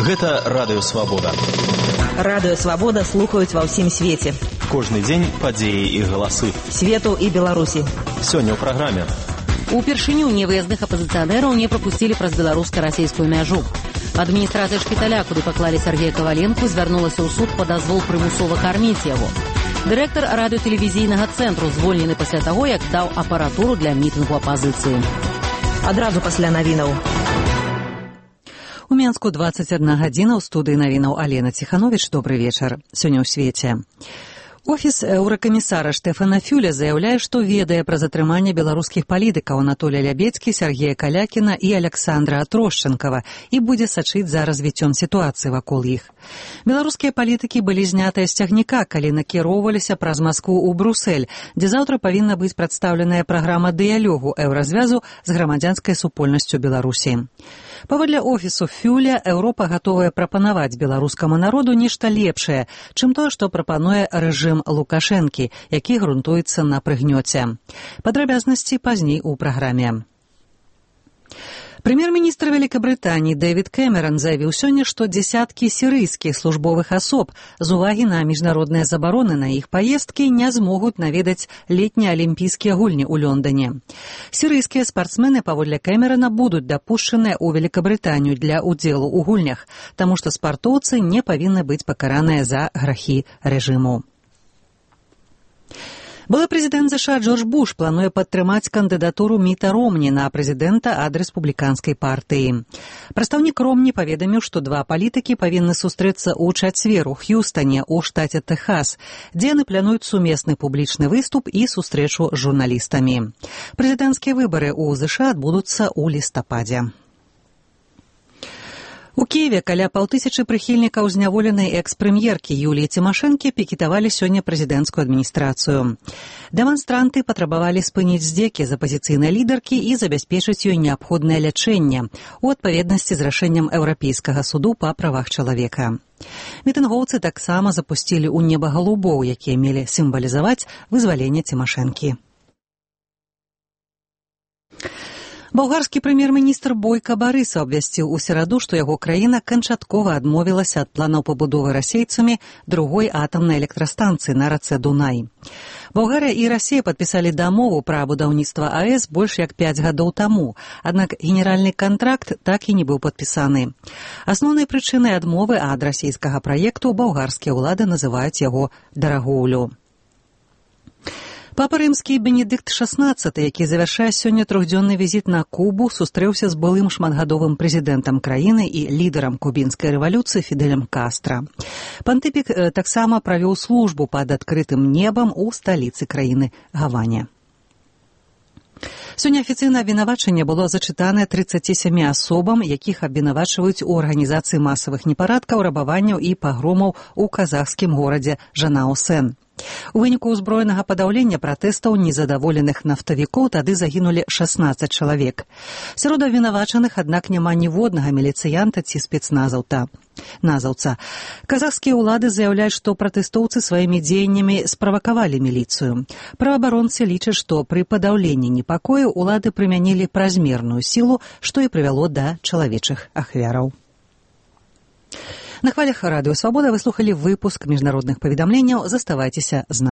Гэта Радыё Свабода. Радыё Свабода слухаюць ва ўсім свеце. Кожны дзень падзеі і галасы. Свету і Беларусі. Сёння ў праграме. Упершыню невыязных апазіцыянераў не прапусцілі праз беларуска-расейскую мяжу. Адміністрацыя шпіталя, куды паклалі Сергея Коваленку, звярнулася ў суд па дазвол прымусова карміць яго. Дырэктар радыётэлевізійнага цэнтру звольнены пасля таго, як даў апаратуру для мітынгу апазіцыі. Адразу пасля навінаў. У Менску 21 гадзіна, ў студыі навінаў Алена Ціхановіч. Добры вечар. Сёння ў свеце. Офіс еўракамісара Штэфана Фюля заяўляе, што ведае пра затрыманне беларускіх палітыкаў Анатолія Лябедзькі, Сергея Калякіна і Аляксандра Трошчанкава і будзе сачыць за развіццём сітуацыі вакол іх. Беларускія палітыкі былі знятыя з цягніка, калі накіроўваліся праз Маскву ў Брусэль, дзе заўтра павінна быць прадстаўленая праграма дыялогу еўразвязу з грамадзянскай супольнасцю Беларусі. Паводле офісу Фюля, Еўропа гатовая прапанаваць беларускаму народу нешта лепшае, чым тое, што прапануе рэжым Лукашэнкі, які грунтуецца на прыгнёце. Падрабязнасці пазней у праграме. Прэм'ер-міністр Вялікабрытаніі Дэвід Кэмеран заявіў сёння, што дзесяткі сірыйскіх службовых асоб з увагі на міжнародныя забароны на іх паездкі не змогуць наведаць летнія алімпійскія гульні ў Лондане. Сірыйскія спартсмены, паводле Кэмерана, будуць дапушчаныя ў Вялікабрытанію для ўдзелу ў гульнях, таму што спартоўцы не павінны быць пакараныя за грахі рэжыму. Былы прэзідэнт США Джордж Буш плануе падтрымаць кандыдатуру Міта Ромні на прэзідэнта ад рэспубліканскай партыі. Прадстаўнік Ромні паведаміў, што два палітыкі павінны сустрэцца ў чацвер у Х'юстане, у штаце Тэхас, дзе яны плануюць сумесны публічны выступ і сустрэчу з журналістамі. Прэзідэнцкія выбары ў США адбудуцца ў лістападзе. У Кіеве каля 5000 прыхільнікаў зняволенай экс-прэм'еркі Юліі Цімашэнкі пікетавалі сёння прэзідэнцкую адміністрацыю. Дэманстранты патрабавалі спыніць здзекі з апазіцыйнай лідаркі і забяспечыць ёй неабходнае лячэнне у адпаведнасці з рашэннем Еўрапейскага суду па правах чалавека. Мітынгоўцы таксама запусцілі ў неба галубоў, якія мелі сімвалізаваць вызваленне Цімашэнкі. Балгарскі прэм'ер-міністр Бойка Барыса абвясціў у сераду, што яго краіна канчаткова адмовілася ад планаў пабудовы расейцамі другой атамнай электрастанцыі на рацэ Дунай. Балгарыя і Расія падпісалі дамову пра будаўніцтва АЭС больш як 5 гадоў таму, аднак генеральны кантракт так і не быў падпісаны. Асноўнай прычынай адмовы ад расійскага праекту балгарскія ўлады называюць яго дарагоўлю. Папа рымскі Бенедыкт XVI, які завяршае сёння трохдзённы візіт на Кубу, сустрэўся з былым шматгадовым прэзідэнтам краіны і лідарам кубінскай рэвалюцыі Фідэлем Кастра. Пантыпік таксама правёў службу пад адкрытым небам у сталіцы краіны Гаване. Сёння афіцыйнае абвінавачанне было зачытанае 37 асобам, якіх абвінавачваюць у арганізацыі масавых непарадкаў, рабаванняў і пагромаў у казахскім горадзе Жанао-Сэн. У выніку ўзброенага падаўлення пратэстаў незадаволеных нафтавікоў тады загінулі 16 чалавек. Сярод абвінавачаных, аднак, няма ніводнага міліцыянта ці спецназаўца. Казахскія ўлады заяўляюць, што пратэстоўцы сваімі дзеяннямі справакавалі міліцыю. Праваабаронцы лічаць, што пры падаўленні непакою ўлады прымянілі празмерную сілу, што і прывяло да чалавечых ахвяраў. На хвалях Радыё Свабода вы слухалі выпуск міжнародных паведамленняў. Заставайцеся з намі.